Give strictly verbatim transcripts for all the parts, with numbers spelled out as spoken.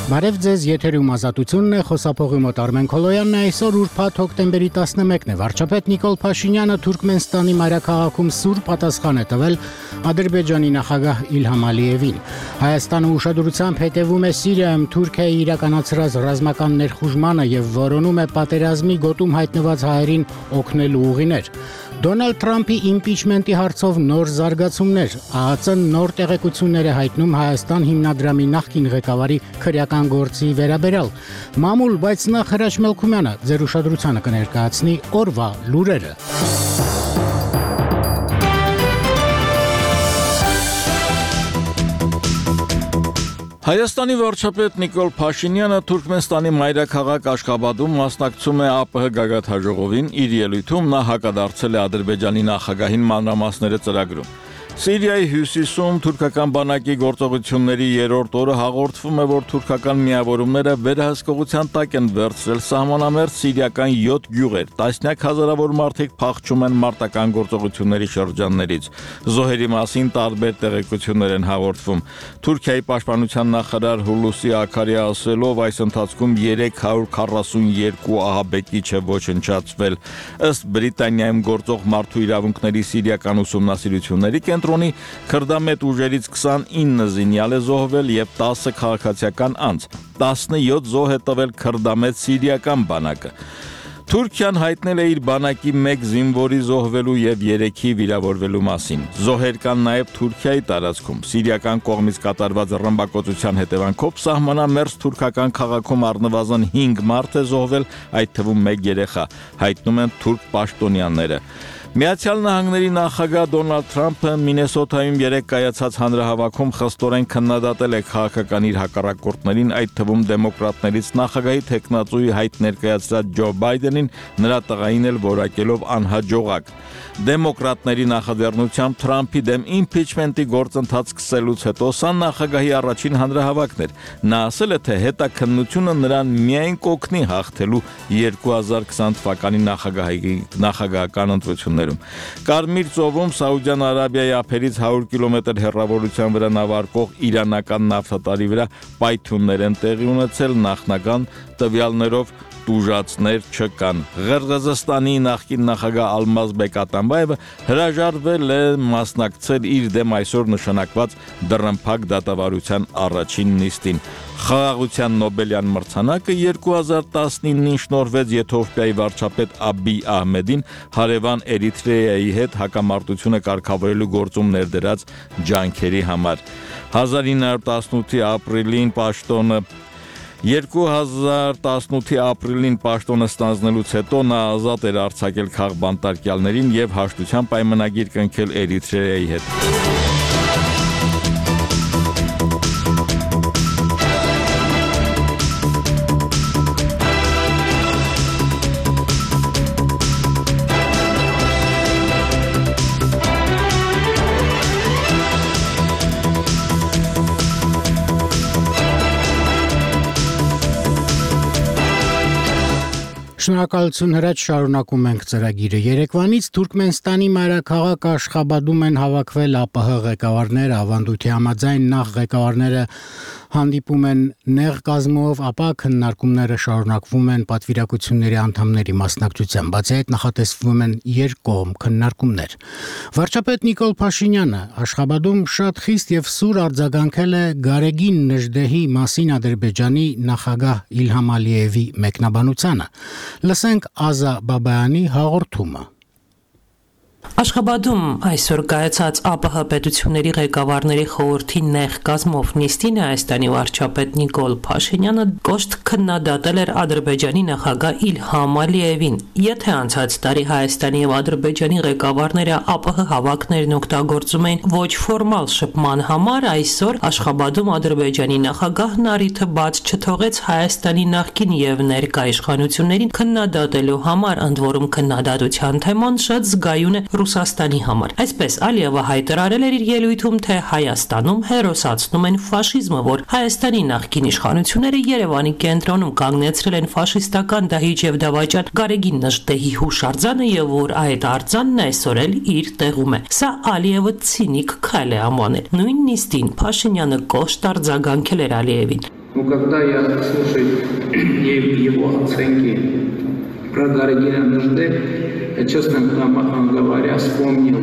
Բարև ձեզ, եթերում ազատությունն է, խոսափողի մոտ Արմեն Քոլոյանն է, այսօր ուրբաթ հոկտեմբերի տասնմեկն է, վարչապետ Նիկոլ Փաշինյանը Թուրքմենստանի մայրաքաղաքում սուր պատասխան է տվել Ադրբեջանի նախագահ Իլհամ Ալիևին։ Հայաստանը ուշադրությամբ հետևում է Սիրիայում Թուրքիայի իրականացրած ռազմական ներխուժմանը եւ որոնում է պատերազմի գոտում հայտնված հայերին օգնելու ուղիներ։ Դոնալդ Թրամփի իմպիչմենտի հարցով նոր զարգացումներ, ԱԱԾ-ն նոր տեղեկություններ է հայտնում Հայաստան հիմնադրամի նախկին ղեկավարի քրեական գործի վերաբերյալ։ Մամուլ, բայց նախ Հրաչ Մելքումյանը ձեր ուշադրությանը կներկայացնի օրվա լուրերը։ Հայաստանի վարչապետ Նիկոլ Փաշինյանը Թուրքմենստանի մայրաքաղաք Աշխաբադում մասնակցում է ԱՊՀ գագաթնաժողովին, իր ելույթում նա հակադարձել է Ադրբեջանի նախագահին մանրամասները ծրագրում։ Սիրիայի հյուսիսում թուրքական բանակի գործողությունների երրորդ օրը հաղորդվում է, որ թուրքական միավորումները վերահսկողության տակ են վերցրել սահմանամերձ սիրիական յոթ գյուղեր, տասնյակ հազարավոր մարդիկ փախչում են մարտական գործողությունների շրջաններից։ Զոհերի մասին տարբեր տեղեկություններ են հաղորդվում։ Թուրքիայի պաշտպանության նախարար Հուլուսի Աքարի ասելով, այս ընթացքում երեք հարյուր քառասունյոթ ահաբեկիչ է ոչնչացվել։ Ըստ Բրիտանիայում գործող մարդու իրավունքների սիրիական ուսումնասիրությունների կենտրոնի քրդամետ ուժերից քսանինը զինյալ է զոհվել եւ տասը քաղաքացիական անձ, տասնյոթ զոհ է տվել քրդամետ սիրիական բանակը։ Թուրքիան հայտնել է իր բանակի մեկ զինվորի զոհվելու եւ երեքի վիրավորվելու մասին։ Զոհեր կան նաեւ Թուրքիայի տարածքում։ Սիրիական կողմից կատարված ռմբակոծության հետևանքով սահմանամերձ թուրքական քաղաքում առնվազն հինգ մարդ է զոհվել, այդ թվում մեկ երեխա, հայտնում են թուրք պաշտոնյաները։ Միացյալ Նահանգների նախագահ Դոնալդ Թրամփը Մինեսոտայում երեկ կայացած հանրահավաքում խստորեն քննադատել է քաղաքական իր հակառակորդներին, այդ թվում դեմոկրատներից նախագահի թեկնածուի հայտ ներկայացրած Ջո Բայդենին, նրա տղային էլ որակելով անհաջողակ։ Դեմոկրատների նախաձեռնությամբ Թրամփի դեմ իմպիչմենտի գործընթաց սկսելուց հետո սա նախագահի առաջին հանրահավաքն էր։ Նա ասել է, թե հետաքննությունը նրան միայն կօգնի հաղթելու երկու հազար քսան թվականի նախագահի նախագահական ընտրություններում։ Կարմիր ծովում Սաուդյան Արաբիայի ափերից հարյուր կիլոմետր հեռավորության վրա նավարկող իրանական նավթատարի վրա պայթյուններ են տեղի ունեցել, նախնական տվյալներով տուժածներ չկան։ Ղրղզստանի նախկին նախագահ Ալմազբեկ Ատամբաևը հրաժարվել է մասնակցել իր դեմ այսօր նշանակված դռնփակ դատավարության առաջին նիստին։ Խաղաղության Նոբելյան մրցանակը երկու հազար տասնինին շնորհվեց Եթովպիայի վարչապետ Աբիյ Ահմեդին հարևան Էրիթրեայի հետ հակամարտությունը կարգավորելու գործում ներդրած ջանքերի համար։ հազար ինը հարյուր տասնութի ապրիլին պաշտոնը երկու հազար տասնութի ապրիլին պաշտոնը ստանձնելուց հետո նա ազատ էր արձակել քաղբանտարկյալներին եւ հաշտության պայմանագիր կնքել Էրիթրեայի հետ։ Շնորհակալություն Հրաչ, շարունակում ենք ծրագիրը։ Երեկվանից Թուրքմենստանի մայրաքաղաք Աշխաբադում են հավաքվել ԱՊՀ ղեկավարները, ավանդույթի համաձայն նախ ղեկավարները հանդիպում են նեղ կազմով, ապա քննարկումները շարունակվում են պատվիրակությունների անդամների մասնակցությամբ, բացի այդ նախատեսվում են երկկողմ քննարկումներ։ Վարչապետ Նիկոլ Փաշինյանը Աշխաբադում շատ խիստ եւ սուր արձագանքել է Գարեգին Նժդեհի մասին Ադրբեջանի նախագահ Իլհամ Ալիևի մեկնաբանությանը։ Լսենք Ազա Բաբայանի հաղորդումը։ Աշխաբադում այսօր կայացած ԱՊՀ պետությունների ղեկավարների խորհրդի նեղ կազմով նիստին Հայաստանի վարչապետ Նիկոլ Փաշինյանը կոշտ քննադատել էր Ադրբեջանի նախագահ Իլհամ Ալիևին։ Եթե անցած տարի Հայաստանի եւ Ադրբեջանի ղեկավարները ԱՊՀ հավաքներն օգտագործում էին ոչ ֆորմալ շփման համար, այսօր Աշխաբադում Ադրբեջանի նախագահն առիթը բաց չթողեց Հայաստանի նախկին եւ ներկա իշխանություններին քննադատելու համար, ընդ որում քննադատության թեման շատ զգայուն է Ռուսաստանի համար։ Այսպես Ալիևը հայտարարել էր իր ելույթում, թե Հայաստանում հերոսացնում են ֆաշիզմը, որ Հայաստանի նախկին իշխանությունները Երևանի կենտրոնում կանգնեցրել են ֆաշիստական դահիճ եւ դավաճան Գարեգին Նժդեհի հուշարձանը եւ որ այդ արձանն այսօր էլ իր տեղում է։ Սա Ալիևը ցինիկ քայլ է անվանել։ Նույն նիստին Փաշինյանը կոշտ արձագանքել էր Ալիևին։ Но когда я слушаю его оценки про Гарагина нужды, я, честно говоря, вспомнил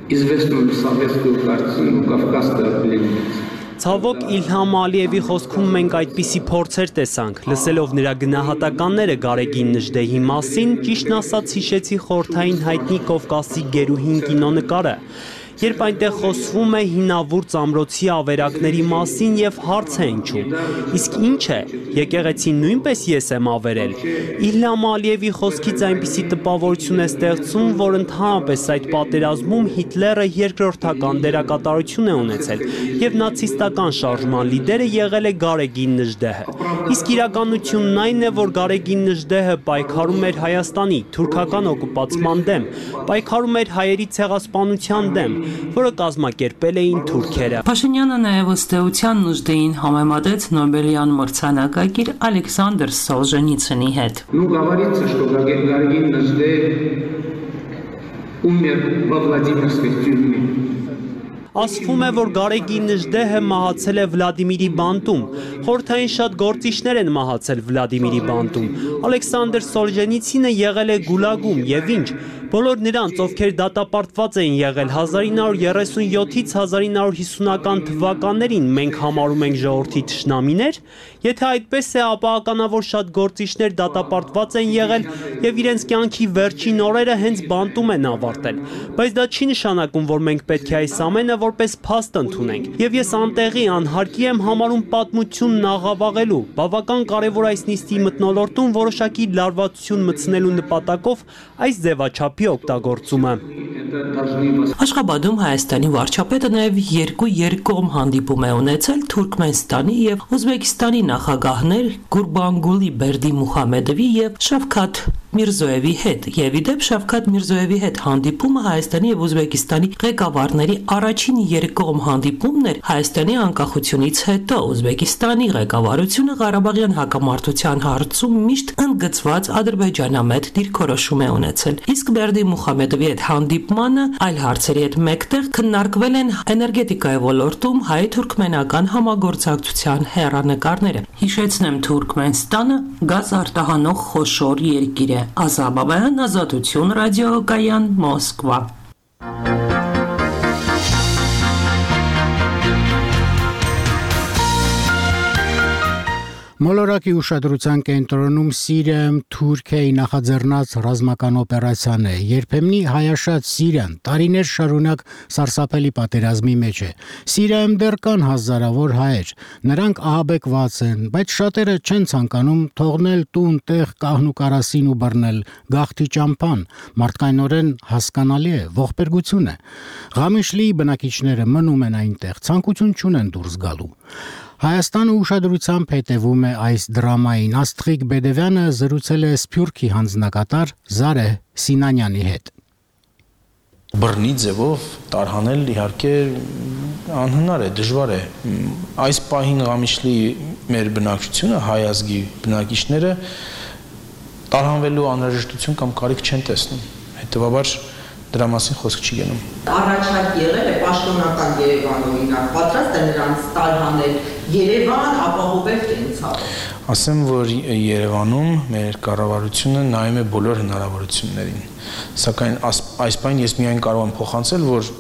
известную советскую картину «Кавказская пленница». Ցավոք Իլհամ Ալիևի խոսքում մենք այդպիսի փորձեր տեսանք, լսելով նրա գնահատականները Գարեգին Նժդեհի մասին, ճիշտն ասած հիշեցի խորհրդային հայտնի Կովկասի գերուհին կինոնկարը, երբ այնտեղ խոսվում է հինավուրց ամրոցի ավերակների մասին եւ հարց է հնչում, իսկ ինչ է, եկեղեցին նույնպես ես եմ ավերել։ Իլհամ Ալիևի խոսքից այնպիսի տպավորություն է ստեղծում, որ ընդհանրապես այդ պատերազմում Հիտլերը երկրորդական դերակատարություն է ունեցել եւ նացիստական շարժման լիդերը եղել է Գարեգին Նժդեհը։ Իսկ իրականությունն այն է, որ Գարեգին Նժդեհը պայքարում էր Հայաստանի թուրքական օկուպացիան դեմ, պայքարում էր հայերի ցեղասպանության դեմ, որը կազմակերպել էին թուրքերը։ Փաշինյանը նաև ըստ էության Նժդեհին համեմատեց Նոբելյան մրցանակակիր Ալեքսանդր Սոլժենիցինի հետ։ Ну, говорится, что Гарагин Наждеев умер во Владимирской тюрьме. Ասվում է, որ Գարեգին Նժդեհը մահացել է Վլադիմիրի բանտում։ Խորհրդային շատ գործիչներ են մահացել Վլադիմիրի բանտում։ Ալեքսանդր Սոլժենիցինը եղել է գուլագում եւ ինչ։ Բոլոր նրանց, ովքեր դատապարտված էին եղել հազար ինը հարյուր երեսունյոթից հազար ինը հարյուր հիսունական թվականներին մենք համարում ենք ժողովրդի թշնամիներ, եթե այդպես է, ապա ականավոր շատ գործիչներ դատապարտված են եղել եւ իրենց կյանքի վերջին օրերը հենց բանտում են ավարտել։ Բայց դա չի նշանակում, որ մենք պետք է այս ամենը որպես փաստ ընդունենք։ Եվ ես անտեղի անհարկի եմ համարում պատմությունն աղավաղելու։ Բավական կարևոր այս նիստի մթնոլորտում որոշակի լարվածություն մտցնելու նպատակով այս ձևաչափի օգտագործումը։ Աշխաբադում Հայաստանի վարչապետը նաև երկու երկկողմ հանդիպում է ունեցել Թուրքմենստանի եւ Ուզբեկիստանի նախագահներ Գուրբանգուլի Բերդիմուխամեդովի եւ Շավքաթ Միրզոևի հետ, եւ իդեպ Շավքաթ Միրզոևի հետ հանդիպումը Հայաստանի եւ Ուզբեկիստանի ղեկավարների առաջին երկկողմ հանդիպումն էր Հայաստանի անկախությունից հետո։ Ուզբեկիստանի ղեկավարությունը Ղարաբաղյան հակամարտության հարցում միշտ ընդգծված ադրբեջանամետ դիրքորոշում է ունեցել։ Իսկ Բերդիմուխամեդովի հետ հանդիպմանը այլ հարցերի հետ մեկտեղ քննարկվել են էներգետիկայի ոլորտում հայ-թուրքմենական համագործակցության հեռանկարները։ Հիշեցնեմ, Թուրքմենստանը գազ արտահանող խոշոր երկիր է։ Ազաբաբայան, Ազատություն, ռադիոկայան, Մոսկվա։ Մոլորակի ուշադրության կենտրոնում Սիրիայում Թուրքիայի նախաձեռնած ռազմական օպերացիան է։ Երբեմնի հայաշատ Սիրիան տարիներ շարունակ սարսափելի պատերազմի մեջ է։ Սիրիայում դեռ կան հազարավոր հայեր։ Նրանք ահաբեկված են, բայց շատերը չեն ցանկանում թողնել տուն, տեղ, կահն ու կարասին ու բռնել գաղթի ճամփան։ Մարդկայնորեն հասկանալի է, ողբերգություն է։ Ղամիշլիի բնակիչները մնում են այնտեղ, ցանկություն չունեն դուրս գալու։ Հայաստանը ուշադրությամբ հետևում է այս դրամային։ Աստղիկ Բեդևյանը զրուցել է Սփյուռքի հանձնակատար Զարե Սինանյանի հետ։ Բռնի ձևով տարհանել իհարկե անհնար է, դժվար է։ Այս պահին Ղամիշլի մեր բնակչությունը, հայ ազգի բնակիչները տարհանվելու անհրաժեշտություն կամ կարիք չեն տեսնում։ Հետևաբար դրա մասին խոսք չի գնում։ Առաջարկ եղել է պաշտոնական Երևան օրինակ, պատրաստ է նրանց տարհանել Երևան ապահովել կենցաղը։ Ասեմ, որ Երևանում մեր կառավարությունը նայում է բոլոր հնարավորություններին։ Սակայն այս պահին ես միայն կարող եմ փոխանցել, որ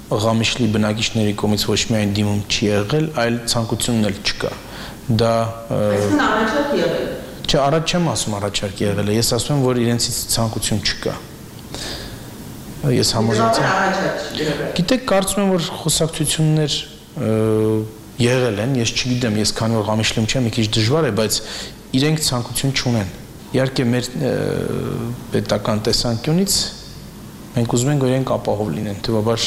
Ղամիշլի բնակիչների կողմից ոչ միայն դիմում չի եղել, այլ ցանկությունն էլ չկա։ Դա Այսինքն առաջարկ եղել։ Չէ, առաջ չեմ ասում առաջարկ եղել է, ես ասում եմ, որ իրենցից ցանկություն չկա։ Ես համոզված եմ։ Գիտեք, կարծում եմ, որ խոսակցություններ եղել են, ես չգիտեմ, ես քանի որ Ղամիշլիում չեմ, մի քիչ դժվար է, բայց իրենք ցանկություն չունեն։ Իհարկե մեր պետական տեսանկյունից մենք ուզում ենք, որ իրենք ապահով լինեն, թվաբար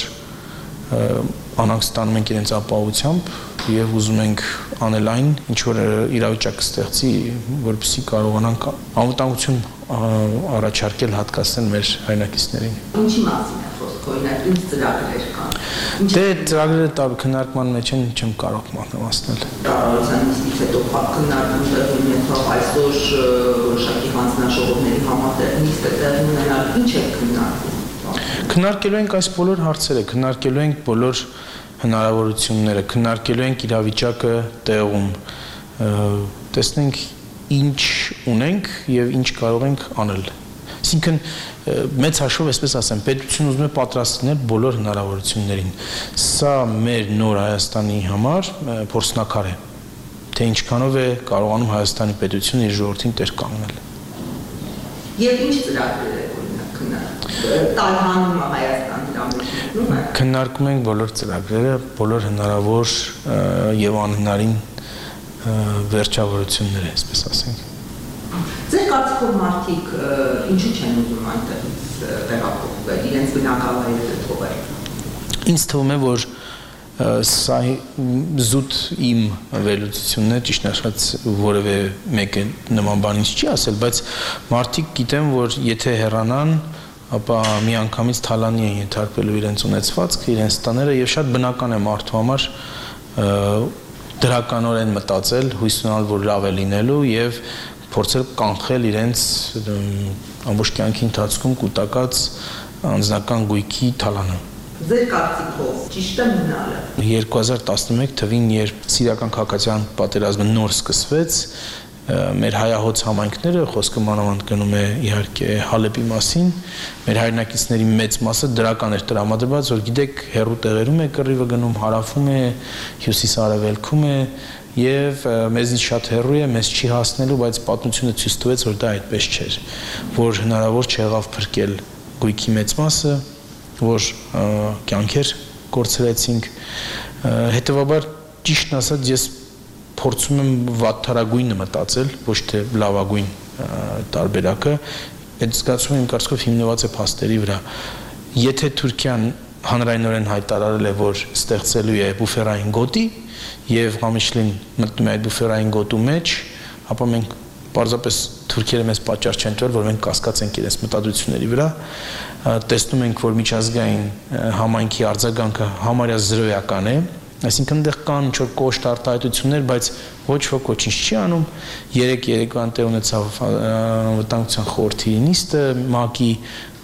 անհանգ ստանում ենք իրենց ապահովությամբ եւ ուզում ենք անել այն, ինչ որ իրավիճակ կստեղծի, որպեսզի կարողանանք անվտանգություն առաջարկել հատկացնել մեր հայրենակիցներին։ Ինչի մասին է խոսքը, օրինակ, ինչ ծրագրեր կան։ Դե ծրագրերը քննարկման մեջ են, չեմ կարող մանրամասնել։ Կառավարության նիստից հետո քննարկում տեղի ունեցավ այսօր որոշակի հանձնաժողովների համատեղ նիստը տեղի ունենալ, ինչ է քննարկվում։ Քննարկելու ենք այս բոլոր հարցերը, քննարկելու ենք բոլոր հնարավորությունները, քննարկելու ենք իրավիճակը տեղում, տեսնենք ինչ ունենք եւ ինչ կարող ենք անել։ Այսինքն մեծ հաշվով, այսպես ասեմ, պետությունը ուզում է պատրաստ լինել բոլոր հնարավորություններին։ Սա մեր նոր Հայաստանի համար փորձնակար է, թե ինչքանով է կարողանում Հայաստանի պետությունը իր ժողովրդին տեր կանգնել։ Եվ ինչ ծրագրեր եք քննարկում։ Տարհանում է Հայաստան դրա մեջ։ Քննարկում ենք բոլոր ծրագրերը, բոլոր հնարավոր եւ անհնարին վերջավորությունները, այսպես ասենք։ Ձեր կարծիքով մարդիկ ինչու չեն ուզում այնտեղից տեղափոխվել, իրենց բնակավայրերը թողել։ Ինձ թվում է, որ սա զուտ իմ վերլուծությունն է, ճիշտ ասած որևէ մեկը նման բան ինձ չի ասել, բայց մարդիկ գիտեն, որ եթե հեռանան, ապա միանգամից թալանի են ենթարկվելու իրենց ունեցվածքը, իրենց տները եւ շատ բնական է մարդու համար դրականորեն մտածել, հույս ունենալ, որ լավ է լինելու եւ փորձել կանխել իրենց ամբողջ կյանքի ընթացքում կուտակած անձնական գույքի թալանը։ Ձեր կարծիքով ճիշտ է մնալը։ երկու հազար տասնմեկ թվին, երբ Սիրիական քաղաքացիական պատերազմը նոր սկսվեց, մեր հայահոց համայնքները, խոսքը մանավանդ գնում է իհարկե Հալեպի մասին, մեր հայրենակիցների մեծ մասը դրական էր տրամադրված, որ գիտեք, հեռու տեղերում է կռիվը գնում, հարավում է, հյուսիս-արևելքում է, եւ մեզից շատ հեռու է, մեզ չի հասնելու, բայց պատմությունը ցույց տվեց, որ դա այդպես չէր, որ հնարավոր չեղավ փրկել գույքի մեծ մասը, որ կյանքեր կորցրեցինք, հետեւաբար ճիշտն ասած ես փորձում եմ վատթարագույնը մտածել, ոչ թե լավագույն տարբերակը, այդ զգացումը իմ կարծիքով հիմնված է փաստերի վրա։ Եթե Թուրքիան հանրայնորեն հայտարարել է, որ ստեղծելու է բուֆերային գոտի, եւ Ղամիշլին մտնում է այդ բուֆերային գոտու մեջ, ապա մենք պարզապես թուրքերը մեզ պատճառ չեն տվել, որ մենք կասկածենք իրենց մտադրությունների վրա, տեսնում ենք, որ միջազգային համայնքի արձագանքը համարյա զրոյական է, այսինքն այնտեղ կան ինչ-որ կոշտ արտահայտություններ, բայց ոչ ոք ոչինչ չի անում։ Երեք երեկվան տեղ ունեցավ անվտանգության խորհրդի նիստը, ՄԱԿ-ի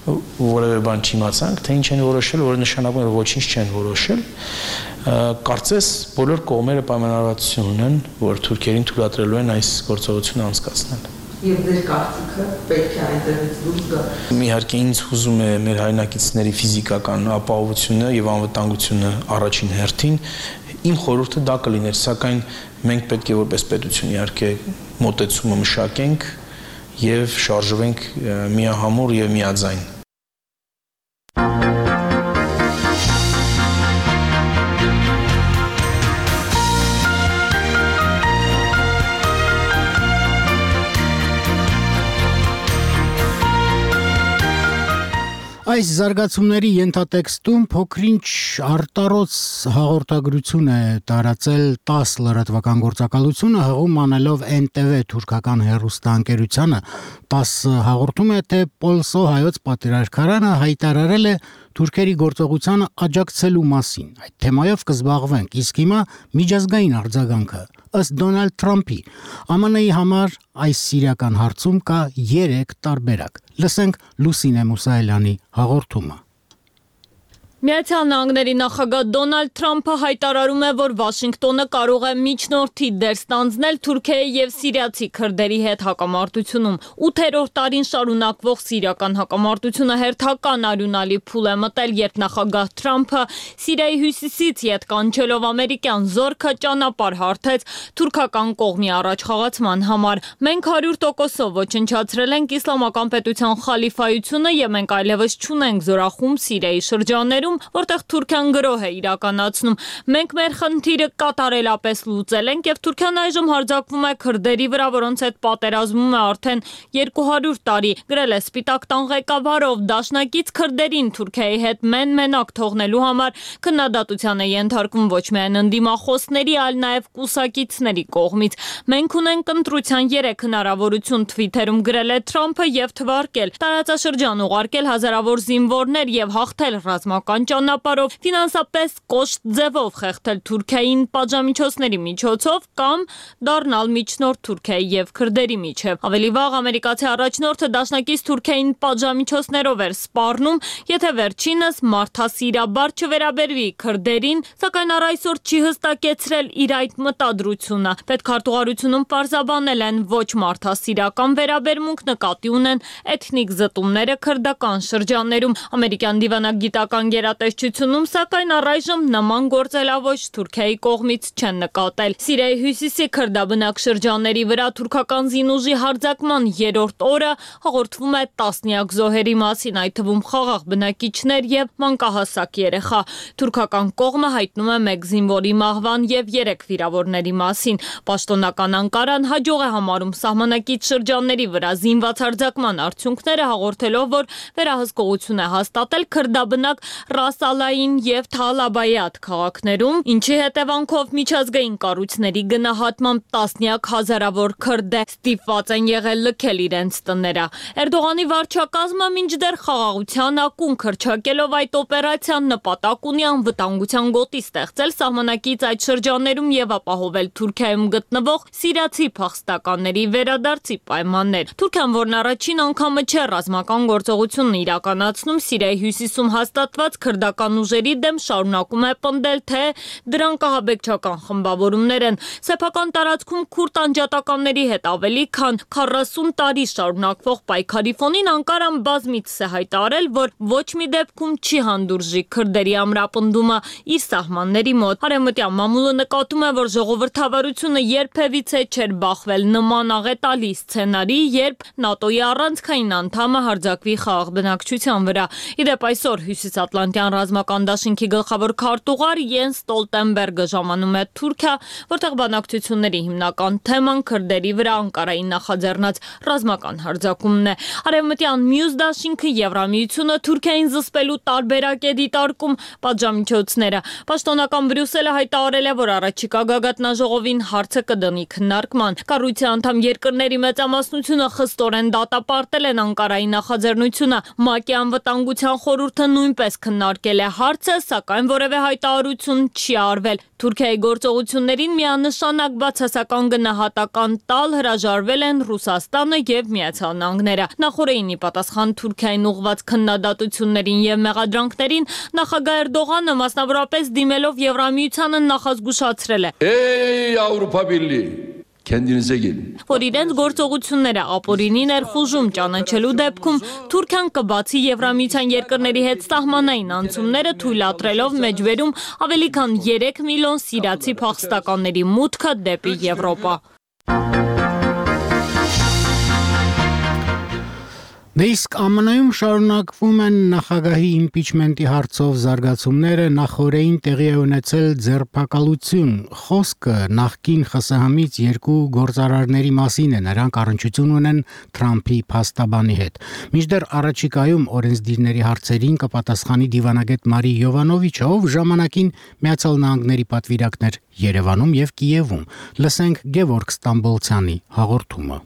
որևէ բան չիմացանք, թե ինչ են որոշել, որը նշանակում է, որ ոչինչ չեն որոշել։ Կարծես բոլոր կողմերը պայմանավորվածություն ունեն, որ թուրքերին թույլատրելու են այս գործողությունը անցկացնել։ Եվ ձեր կարծիքը պետք է այնտեղից դուրս գա։ Իհարկե ինձ հուզում է մեր հայրենակիցների ֆիզիկական ապահովությունը եւ անվտանգությունը առաջին հերթին։ Իմ խորհուրդը դա կլիներ, սակայն մենք պետք է որպես պետություն իհարկե մոտեցումը մշակենք եւ շարժվենք միահամուռ եւ միաձայն։ Այս զարգացումների ենթատեքստում փոքրինչ արտարոց հաղորդագրություն է տարածել տաս լրատվական գործակալությունը, հղում անելով Էն Տի Վի թուրքական հեռուստաընկերությանը։ տաս հաղորդում է, թե Պոլսո հայոց պատրիարքարանը հայտարարել է թուրքերի գործողությանը աջակցելու մասին։ Այդ թեմայով կզբաղվենք, իսկ հիմա միջազգային արձագանքը։ Ըստ Դոնալդ Թրամփի, Ամն Ի-ի համար այս սիրիական հարցում կա երեք տարբերակ։ Լսենք Լուսինե Մուսայելյանի հաղորդումը։ Միացյալ Նահանգների նախագահ Դոնալդ Թրամփը հայտարարում է, որ Վաշինգտոնը կարող է միջնորդի դեր ստանձնել Թուրքիայի եւ սիրիացի քրդերի հետ հակամարտությունում։ ութերորդ տարին շարունակվող սիրիական հակամարտությունը հերթական արյունալի փուլ է մտել, երբ նախագահ Թրամփը Սիրիայի հյուսիսից ետ կանչելով ամերիկյան զորքը ճանապարհ հարթեց թուրքական կողմի առաջխաղացման համար։ Մենք հարյուր տոկոսով ոչնչացրել ենք իսլամական պետության խալիֆայությունը եւ մենք այլևս չունենք զորախումբ Սիրիայի շրջաններում, որտեղ Թուրքիան գրոհ է իրականացնում։ Մենք մեր խնդիրը կատարելապես լուծել ենք եւ Թուրքիան այժմ հարձակվում է քրդերի վրա, որոնց հետ պատերազմում է արդեն երկու հարյուր տարի, գրել է Սպիտակ տան ղեկավարով, դաշնակից քրդերին Թուրքիայի հետ մեն-մենակ թողնելու համար քննադատության է ենթարկվում ոչ միայն ընդդիմախոսների, այլ նաեւ կուսակիցների կողմից։ Մենք ունենք ընտրության երեք հնարավորություն, Թվիթերում գրել է Թրամփը եւ թվարկել տարածաշրջան ուղարկել հազարավոր զինվորներ եւ հաղթել ռազմական ճանապարհով, ֆինանսապես կոշտ ձևով խեղդել Թուրքիային պատժամիջոցների միջոցով կամ դառնալ միջնորդ Թուրքիայի եւ քրդերի միջև։ Ավելի վաղ ամերիկացի առաջնորդը դաշնակից Թուրքիային պատժամիջոցներով էր սպառնում, եթե վերջինս մարդասիրաբար չվերաբերվի քրդերին, սակայն առ այսօր չի հստակեցրել իր այդ մտադրությունը։ Պետքարտուղարությունում պարզաբանել են ոչ մարդասիրական վերաբերմունք նկատի ունեն էթնիկ զտումները քրդական շրջաններում։ Ամերիկյան դիվանագիտական գերատեսչությունում, սակայն առայժմ նման գործելավոճ Թուրքիայի կողմից չեն նկատել։ Սիրիայի հյուսիսի քրդաբնակ շրջանների վրա թուրքական զինուժի հարձակման երրորդ օրը հաղորդվում է տասնյակ զոհերի մասին, այդ թվում խաղաղ բնակիչներ եւ մանկահասակ երեխա։ Թուրքական կողմը հայտնում է մեկ զինվորի մահվան եւ երեք վիրավորների մասին։ Պաշտոնական Անկարան հաջող է համարում սահմանակից շրջանների վրա զինված հարձակման արդյունքները, հաղորդելով, որ վերահսկողություն է հաստատել քրդաբնակ Ռաս Ալային եւ Թալաբայաթ քաղաքներում, ինչի հետևանքով միջազգային կառույցների գնահատմամբ տասնյակ հազարավոր քրդ ստիպված են եղել լքել իրենց տները։ Էրդողանի վարչակազմը մինչդեռ խաղաղության ակունք հռչակելով այդ օպերացիան նպատակ ունի անվտանգության գոտի ստեղծել սահմանակից այդ շրջաններում եւ ապահովել Թուրքիայում գտնվող սիրիացի փախստականների վերադարձի պայմաններ։ Թուրքիան, որն առաջին անգամը չէ ռազմական գործողությունն իրականացնում Սիրիայի հյուսիսում հաստատված քրդական ուժերի դեմ, շարունակում է պնդել, թե դրանք ահաբեկչական խմբավորումներ են։ Սեփական տարածքում քուրդ անջատականների հետ ավելի քան քառասուն տարի շարունակվող պայքարի ֆոնին Անկարան բազմիցս է հայտարարել, որ ոչ մի դեպքում չի հանդուրժի քրդերի ամրապնդումը իր սահմանների մոտ։ Արևմտյան մամուլը նկատում է, որ ժողովրդավարությունը երբևիցե չէր բախվել նման աղետալի սցենարի, երբ ՆԱՏՕ-ի առանցքային անդամը հարձակվի խաղաղ բնակչության վրա։ Իդեպ այսօր Հյուսիսատլանտյան ռազմական դաշինքի գլխավոր քարտուղար Յենս Ստոլտենբերգը ժամանում է Թուրքիա, որտեղ բանակցությունների հիմնական թեման քրդերի վրա Անկարայի նախաձեռնած ռազմական հարձակումն է։ Արևմտյան մյուս դաշինքը Եվրամիությունը Թուրքիային զսպելու տարբերակ է դիտարկում պատժամիջոցները։ Պաշտոնական Բրյուսելը հայտարարել է, որ առաջիկա գագաթնաժողովին հարցը կդնի քննարկման։ Կառույցի անդամ երկրների մեծամասնությունը խստորեն դատապարտել են Անկարայի նախաձեռնությունը։ ՄԱԿ-ի անվտանգության խորհուրդը նույնպես քննարկել է հարցը, սակայն որևէ հայտարարություն չի արվել։ Թուրքիայի գործողություններին միանշանակ բացասական գնահատական տալ հրաժարվել են Ռուսաստանը եւ Միացյալ Նահանգները։ Նախորդին պատասխան Թուրքիային ուղղված քննադատություններին եւ մեղադրանքներին նախագահ Էրդողանը մասնավորապես դիմելով Եվրամիությանը նախազգուշացրել է. Ey Avrupa Birliği, kendinize gelin. Որ իրենց գործողությունները ապօրինի ներխուժում ճանաչելու դեպքում Թուրքիան կբացի Եվրամիության երկրների հետ սահմանային անցումները, թույլատրելով մեջբերում ավելի քան երեք միլիոն սիրիացի փախստականների մուտքը դեպի Եվրոպա։ Դե իսկ ԱՄՆ-ում շարունակվում են նախագահի իմպիչմենտի հարցով զարգացումները, նախորդին տեղի է ունեցել ձերբակալություն։ Խոսքը նախկին ԽՍՀՄ-ից երկու գործարարների մասին է, նրանք առնչություն ունեն Թրամփի փաստաբանի հետ։ Մինչդեռ առաջիկայում օրենսդիրների հարցերին կպատասխանի դիվանագետ Մարի Յովանովիչը, ով ժամանակին Միացյալ Նահանգների պատվիրակն էր Երևանում եւ Կիևում։ Լսենք Գևորգ Ստամբոլցյանի հաղորդումը։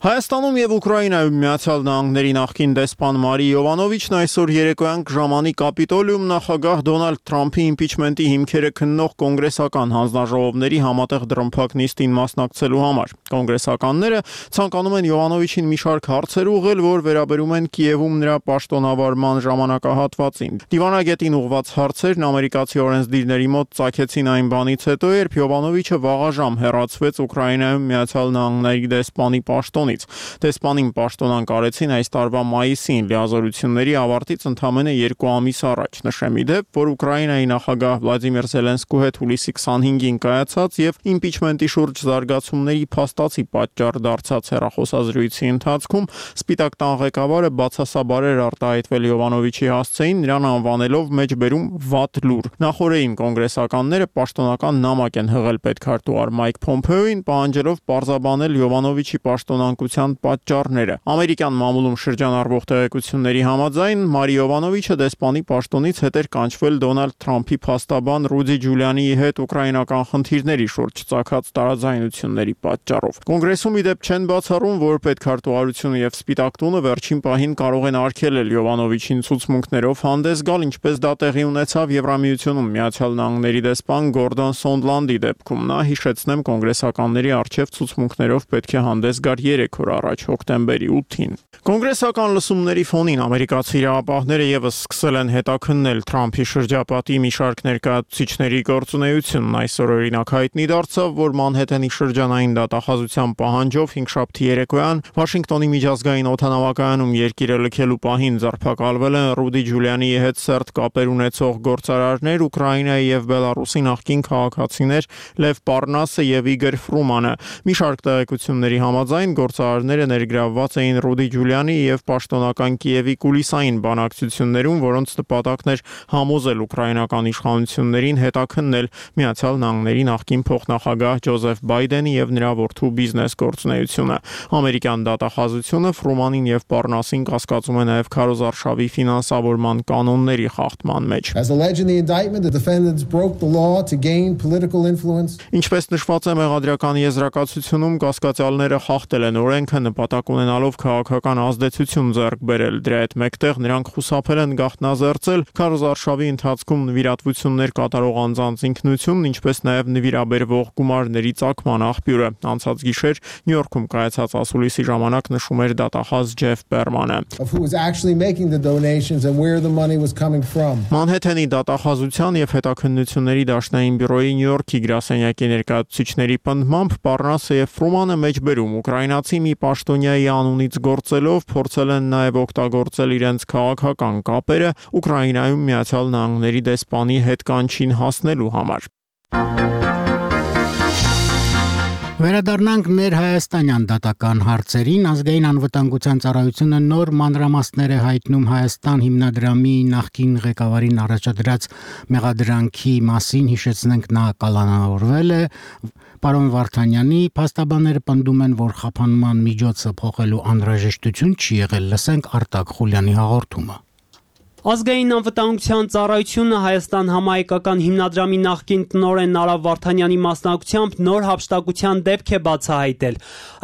Հայաստանում եւ Ուկրաինայում Միացյալ Նահանգների նախկին դեսպան Մարի Յովանովիչն այսօր երեկոյան ժամանի Կապիտոլիում նախագահ Դոնալդ Թրամփի իմպիչմենտի հիմքերը քննող կոնգրեսական հանձնաժողովների համատեղ դրամփակ նիստին մասնակցելու համար։ Կոնգրեսականները ցանկանում են Յովանովիչին մի շարք հարցեր ուղղել, որ վերաբերում են Կիևում նրա պաշտոնավարման ժամանակահատվածին։ Դիվանագետին ուղղված հարցերն ամերիկացի օրենսդիրների մոտ ծագեցին այն բանից հետո, երբ Յովանովիչը վաղաժամ հեռացվեց Ուկրաինայում Միացյալ Նահանգների դեսպանի պաշտոնից։ Դեսպանին պաշտոնան կարեցին այս տարվա մայիսին լիազորությունների ավարտից ընդամենը երկու ամիս առաջ։ Նշեմ ի դեպ, որ Ուկրաինայի նախագահ Վլադիմիր Զելենսկու հետ հուլիսի քսանհինգին կայացած եւ իմպիչմենտի շուրջ զարգացումների փաստացի պատճառ դարձած հեռախոսազրույցի ընթացքում Սպիտակ տան ղեկավարը բացասաբար էր արտահայտվել Յովանովիչի հասցեին, նրան անվանելով մեջբերում վատ լուր։ Նախորդին կոնգրեսականները պաշտոնական նամակ են հղել պետքարտուղար Մայք Փոմփեոին, պահանջելով պարզաբանել Յովանովիչի պաշտոնան փոխանակության պատճառները։ Ամերիկյան մամուլում շրջանառվող տեղեկությունների համաձայն Մարի Յովանովիչը դեսպանի պաշտոնից հետ էր կանչվել Դոնալդ Թրամփի փաստաբան Ռուդի Ջուլիանիի հետ ուկրաինական խնդիրների շուրջ ծագած տարաձայնությունների պատճառով։ Կոնգրեսում ի դեպ չեն բացառում, որ պետքարտուղարությունը եւ Սպիտակ տունը վերջին պահին կարող են արգելել Յովանովիչին ցուցմունքներով հանդես գալ, ինչպես դա տեղի ունեցավ Եվրամիությունում Միացյալ Նահանգների դեսպան Գորդոն Սոնդլանդի դեպքում։ Նա հիշեցնեմ կոնգրեսականների արչև ցուցմունքներով պետք է հանդես գար երեք օր առաջ հոկտեմբերի ութին։ Կոնգրեսական լսումների ֆոնին ամերիկացի իրավապահները եւս սկսել են հետաքննել Թրամփի շրջապատի մի շարք ներկայացուցիչների գործունեությունն։ Այսօր օրինակ հայտնի դարձավ, որ Մանհեթենի շրջանային դատախազության պահանջով հինգշաբթի երեկոյան Վաշինգտոնի միջազգային օդանավակայանում երկիրը լքելու պահին ձերբակալվել են Ռուդի Ջուլիանիի հետ սերտ կապեր ունեցող գործարարներ, Ուկրաինայի եւ Բելարուսի նախկին քաղաքացիներ Լև Պարնասը եւ Իգոր Ֆրումանը։ Մի շարք տեղեկությունների համաձայն գործարարները ներգրավված էին Ռուդի Ջուլիանի եւ պաշտոնական Կիևի կուլիսային բանակցություններում, որոնց նպատակն էր համոզել ուկրաինական իշխանություններին հետաքննել Միացյալ Նահանգների նախկին փոխնախագահ Ջոզեֆ Բայդենի եւ նրա որդու բիզնես գործունեությունը։ Ամերիկյան դատախազությունը Ֆրումանին եւ Պարնասին կասկածում է նաեւ քարոզարշավի ֆինանսավորման կանոնների խախտման մեջ։ Ինչպես նշված է մեղադրական եզրակացությունում, կասկածյալները խախտել են օրենքը նպատակ ունենալով քաղաքական ազդեցություն ձեռք բերել։ Դրա հետ մեկտեղ նրանք խուսափել են գաղտնազերծել քարոզարշավի ընթացքում նվիրատվություններ կատարող անձանց ինքնությունն, ինչպես նաև նվիրաբերվող գումարների ծագման աղբյուրը։ Անցած գիշեր Նյու Յորքում կայացած ասուլիսի ժամանակ նշում էր դատախազ Ջեֆ Բերմանը։ Մանհեթենի դատախազության եւ հետաքննությունների դաշնային բյուրոյի Նյու Յորքի գրասենյակի ներկայացուցիչների պնդմամբ Պարնասը եւ Ֆրումանը մեջբերում ուկրաինացի մի պաշտոնյայի անունից գործելով փորձել են նաեւ օգտագործել իրենց քաղաքական կապերը Ուկրաինայում Միացյալ Նահանգների դեսպանի հետ կանչին հասնելու համար։ Վերադառնանք ներհայաստանյան դատական հարցերին։ Ազգային անվտանգության ծառայությունը նոր մանրամասներ է հայտնում Հայաստան հիմնադրամի նախկին ղեկավարին առաջադրած մեղադրանքի մասին, հիշեցնենք նա կալանավորվել է։ Պարոն Վարդանյանի փաստաբանները պնդում են, որ խափանման միջոցը փոխելու անհրաժեշտություն չի եղել։ Լսենք Արտակ Խուլյանի հաղորդումը։ Ազգային անվտանգության ծառայությունը Հայաստան համահայկական հիմնադրամի նախկին տնօրեն Նարա Վարդանյանի մասնակցությամբ նոր հափշտակության դեպք է բացահայտել։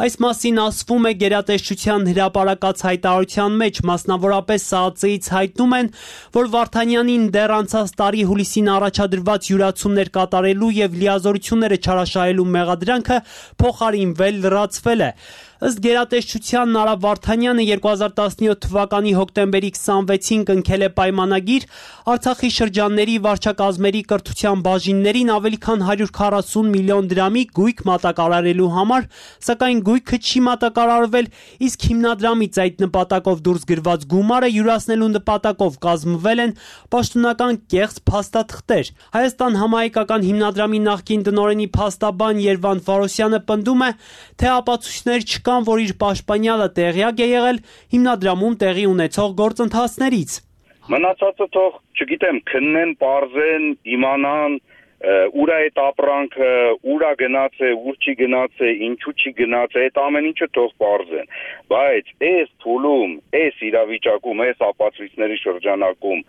Այս մասին ասվում է գերատեսչության հրապարակած հայտարարության մեջ, մասնավորապես ՍԱԱԾ-ից հայտնում են, որ Վարդանյանին դեռ անցած տարի հուլիսին առաջադրված յուրացումներ կատարելու եւ լիազորությունները չարաշահելու մեղադրանքը փոխարինվել լրացվել է։ Ըստ գերատեսչության Նարա Վարդանյանը երկու հազար տասնյոթ թվականի հոկտեմբերի քսանվեցին կնքել է պայմանագիր Արցախի շրջանների վարչակազմերի կրթության բաժիններին ավելի քան հարյուր քառասուն միլիոն դրամի գույք մատակարարելու համար, սակայն գույքը չի մատակարարվել, իսկ հիմնադրամից այդ նպատակով դուրս գրված գումարը յուրացնելու նպատակով կազմվել են պաշտոնական կեղծ փաստաթղթեր։ Հայաստան համահայկական հիմնադրամի նախկին տնօրենի փաստաբան Երվանդ Վարոսյանը պնդում է, թե ապացույցներ չկան, որ իր պաշտպանյալը տեղյակ է եղել հիմնադրամում տեղի ունեցող գործընթացներից։ Մնացածը թող, չգիտեմ, քննեն, պարզեն, իմանան, ուր է այդ ապրանքը, ուրա գնաց է, ուր չի գնաց է, ինչու չի գնաց է, այդ ամեն ինչը թող պարզեն։ Բայց այս փուլում, այս իրավիճակում, այս ապացույցների շրջանակում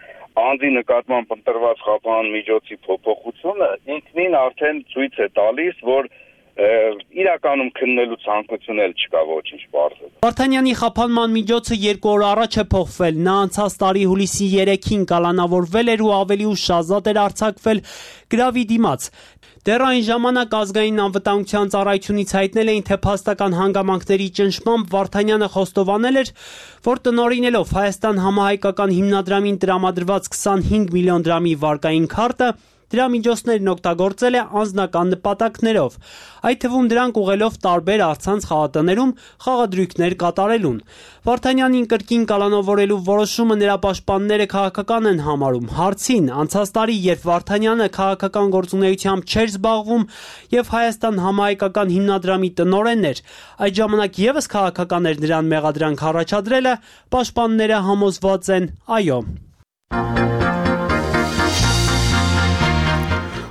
անձի նկատմամբ ընտրված խափան միջոցի փոփոխությունը ինքնին արդեն ցույց է տալիս, որ իրականում քննելու ցանկություն էլ չկա ոչինչ բարձր։ Վարդանյանի խափանման միջոցը երկու օր առաջ է փոխվել։ Նա անցած տարի հուլիսի երեքին կալանավորվել էր ու ավելի ուշ ազատ էր արձակվել գրավի դիմաց։ Դեռ այն ժամանակ ազգային անվտանգության ծառայությունից հայտնել էին, թե փաստական հանգամանքների ճնշմամբ Վարդանյանը խոստովանել էր, որ տնօրինելով Հայաստան համահայկական հիմնադրամին տրամադրված քսանհինգ միլիոն դրամի վարկային քարտը դրա միջոցներն օգտագործել է անձնական նպատակներով, այդ թվում դրանք ուղղելով տարբեր առցանց խաղատներում խաղադրույքներ կատարելուն։ Վարդանյանին կրկին կալանավորելու որոշումը նրա պաշտպանները քաղաքական են համարում։ Հարցին, անցած տարի, երբ Վարդանյանը քաղաքական գործունեությամբ չէր զբաղվում եւ Հայաստան համահայկական հիմնադրամի տնօրենն էր, այդ ժամանակ եւս քաղաքական էր նրան մեղադրանք առաջադրելը, պաշտպանները համոզված են՝ այո։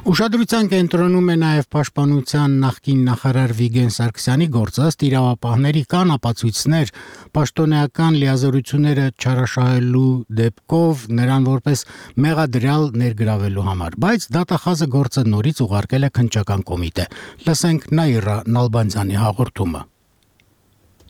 Ուշադրության կենտրոնում է նաև Պաշտպանության նախկին նախարար Վիգեն Սարգսյանի գործը, ըստ իրավապահների կան ապացույցներ պաշտոնեական լիազորությունները չարաշահելու դեպքով նրան որպես մեղադրյալ ներգրավելու համար, բայց դատախազը գործը նորից ուղարկել է քննչական կոմիտե։ Լսենք Նաիրա Նալբանդյանի հաղորդումը։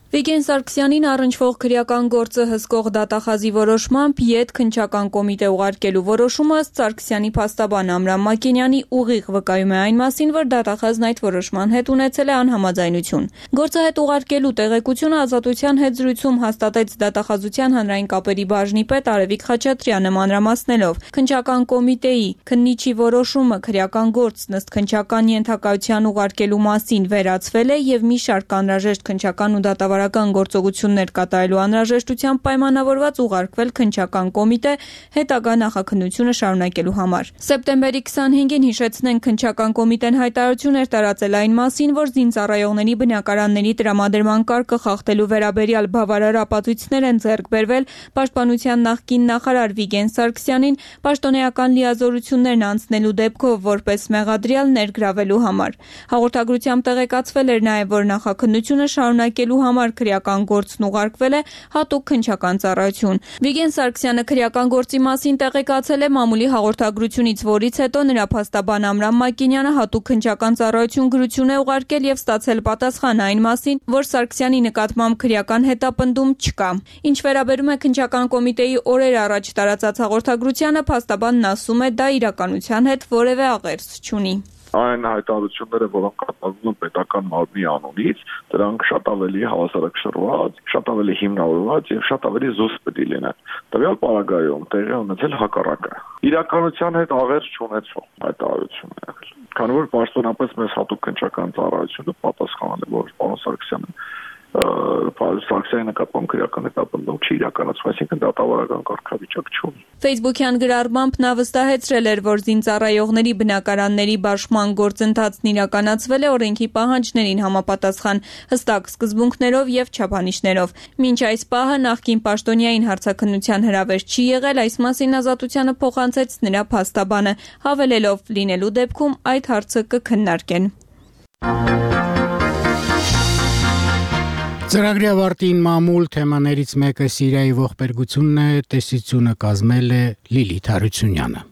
Վիգեն Սարգսյանին առնչվող քրեական գործը հսկող դատախազի որոշմամբ յետ քննչական կոմիտե ուղարկելու որոշումը ըստ Սարգսյանի փաստաբան Ամրամ Մակենյանի ուղիղ վկայում է այն մասին, որ դատախազն այդ որոշման հետ ունեցել է անհամաձայնություն։ Գործը հետ ուղարկելու տեղեկությունը Ազատության հետ զրույցում հաստատեց դատախազության հանրային կապերի բաժնի պետ Արևիկ Խաչատրյանը մանրամասնելով. քննչական կոմիտեի քննիչի որոշումը քրեական գործն ըստ քննչական ենթակայության ուղարկելու մասին վերացվել է եւ մի շարք անհրաժեշտ քննչական ու դատավար գործողություններ կատարելու անհրաժեշտությամբ պայմանավորված ուղարկվել քննչական կոմիտե հետագա նախաքննությունը շարունակելու համար։ Սեպտեմբերի քսանհինգին հիշեցնենք քննչական կոմիտեն հայտարարություն էր տարածել այն մասին, որ զինծառայողների բնակարանների տրամադրման կարգը խախտելու վերաբերյալ բավարար ապացույցներ են ձեռք բերվել Պաշտպանության նախկին նախարար Վիգեն Սարգսյանին պաշտոնեական լիազորություններն անցնելու դեպքով որպես մեղադրյալ ներգրավելու համար։ Հաղորդագրությամբ տեղեկացվել էր նաև, որ նախաքննությունը շարունակելու համար քրեական գործն ուղարկվել է հատուկ քննչական ծառայություն։ Վիգեն Սարգսյանը քրեական գործի մասին տեղեկացել է մամուլի հաղորդագրությունից, որից հետո նրա փաստաբան Ամրամ Մակենյանը հատուկ քննչական ծառայություն գրություն է ուղարկել եւ ստացել պատասխան այն մասին, որ Սարգսյանի նկատմամբ քրեական հետապնդում չկա։ Ինչ վերաբերում է քննչական կոմիտեի օրեր առաջ տարածած հաղորդագրությանը, փաստաբանն ասում է, դա իրականության հետ որևէ աղերս չունի։ Այն հայտարարությունները, որոնք կատարվում են պետական մարմնի անունից, դրանք շատ ավելի հավասարակշռված, շատ ավելի հիմնավորված եւ շատ ավելի զուսպ պետք է լինեն։ Տվյալ պարագայում տեղի ունեցել հակառակը։ Իրականության հետ աղերս չունեցող հայտարարություն է եղել։ Քանի որ պաշտոնապես մեզ հատուկ քննչական ծառայությունը պատասխանել է, որ պարոն Սարգսյանը Սարգսյանի նկատմամբ քրեական հետապնդում չի իրականացվում, այսինքն դատավարական կարգավիճակ չունի։ Facebook-յան գրառմամբ նա վստահեցրել էր, որ զինծառայողների բնակարանների բաշխման գործընթացն իրականացվել է օրենքի պահանջներին համապատասխան հստակ սկզբունքներով եւ չափանիշներով։ Մինչ այս պահը նախկին պաշտոնյային հարցաքննության հրավեր չի եղել, այս մասին Ազատությանը փոխանցեց նրա փաստաբանը, հավելելով լինելու դեպքում այդ հարցը կքննարկեն։ Ծրագրի ավարտին մամուլ թեմաներից մեկը Սիրիայի ողբերգությունն է, տեսությունը կազմել է Լիլիթ Հարությունյանը։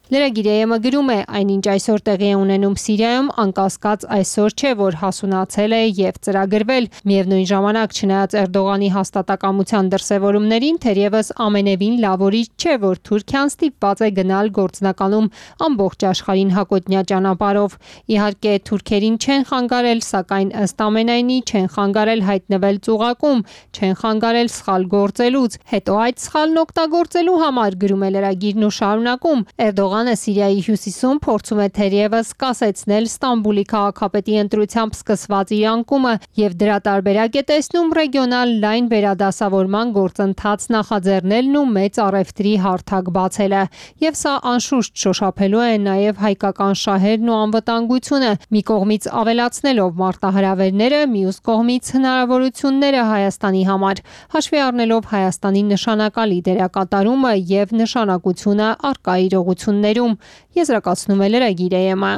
Լրագիրը գրում է, այնինչ այսօր տեղի է ունենում Սիրիայում, անկասկած այսօր չէ, որ հասունացել է եւ ծրագրվել։ Միևնույն ժամանակ, չնայած Էրդողանի հաստատակամության դրսևորումներին, թերևս ամենևին լավորիչ չէ, որ Թուրքիան ստիպված է գնալ գործնականում ամբողջ աշխարհին հակոտնյա ճանապարհով։ Իհարկե, թուրքերին չեն խանգարել, սակայն ըստ ամենայնի չեն խանգարել հայտնվել ծուղակում, չեն խանգարել սխալ գործելուց։ Հետո այդ սխալն օգտագործելու համար, գրում է լրագիրն ու շարունակում, Էրդողան Սիրիայի հյուսիսում փորձում է թերևս կասեցնել Ստամբուլի քաղաքապետի ընտրությամբ սկսված իր անկումը եւ դրա տարբերակ է տեսնում ռեգիոնալ լայն վերադասավորման գործընթաց նախաձեռնելն ու մեծ առևտրի հարթակ բացելը։ Եվ սա անշուշտ շոշափելու է նաեւ հայկական շահերն ու անվտանգությունը, մի կողմից ավելացնելով մարտահրավերները, մյուս կողմից հնարավորությունները Հայաստանի համար, հաշվի առնելով Հայաստանի նշանակալի դերակատարումը եւ նշանակությունը առկա իրողություններ Եզրակացնում է լրագիրը։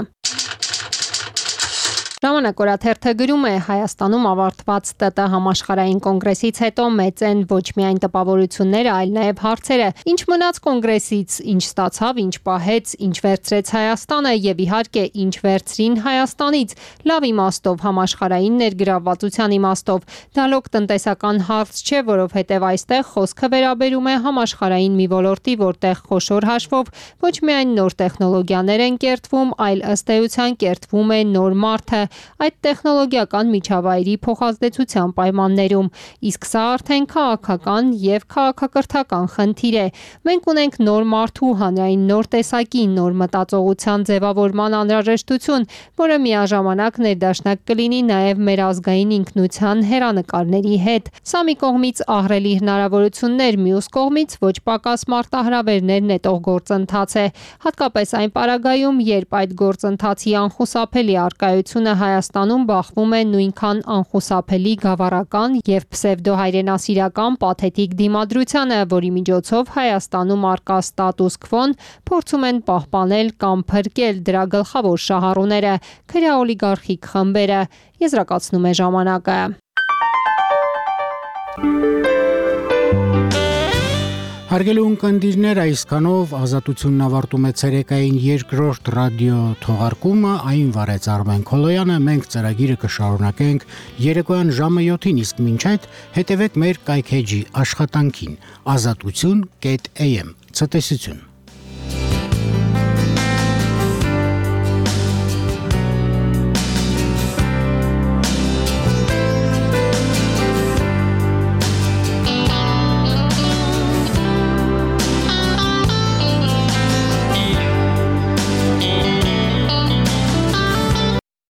Ժամանակ օրաթերթը գրում է, Հայաստանում ավարտված ՏՏ համաշխարհային կոնգրեսից հետո մեծ են ոչ միայն տպավորությունները, այլ նաև հարցերը. ինչ մնաց կոնգրեսից, ինչ ստացավ, ինչ պահեց, ինչ վերցրեց Հայաստանը եւ իհարկե ինչ վերցրին Հայաստանից, լավ իմաստով, համաշխարհային ներգրավվածության իմաստով։ Դա լոկ տնտեսական հարց չէ, որովհետեւ այստեղ խոսքը վերաբերում է համաշխարհային մի ոլորտի, որտեղ խոշոր հաշվով ոչ միայն նոր տեխնոլոգիաներ են կերտվում, այլ ըստ էության կերտվում է նոր մարդը այդ տեխնոլոգիական միջավայրի փոխազդեցության պայմաններում, իսկ սա արդեն քաղաքական եւ քաղաքակրթական խնդիր է։ Մենք ունենք նոր մարդու հանրային նոր տեսակի, նոր մտածողության ձևավորման անհրաժեշտություն, որը միաժամանակ ներդաշնակ կլինի նաեւ մեր ազգային ինքնության հերանեկարների հետ։ Սա մի կողմից ահռելի հնարավորություններ, մյուս կողմից ոչ պակաս մարտահրավերներ նետող գործընթաց է, հատկապես այն պարագայում, երբ այդ գործընթացի անխուսափելի առկայությունը Հայաստանում բախվում է նույնքան անխուսափելի գավառական եւ պսևդոհայրենասիրական պաթետիկ դիմադրությանը, որի միջոցով Հայաստանում արկա ստատուս քվոն փորձում են պահպանել կամ փրկել դրա գլխավոր շահառուները՝ քրեաօլիգարխիկ խմբերը, եզրակացնում է ժամանակը։ Հարգելի ունկնդիրներ, այսքանով Ազատությունն ավարտում է ցերեկային երկրորդ ռադիո թողարկումը, այն վարեց Արմեն Քոլոյանը, մենք ծրագիրը կշարունակենք երեկոյան ժամը յոթին, իսկ մինչ այդ հետևեք մեր կայքեջի աշխատանքին ազատություն կետ am։ Ցտեսություն։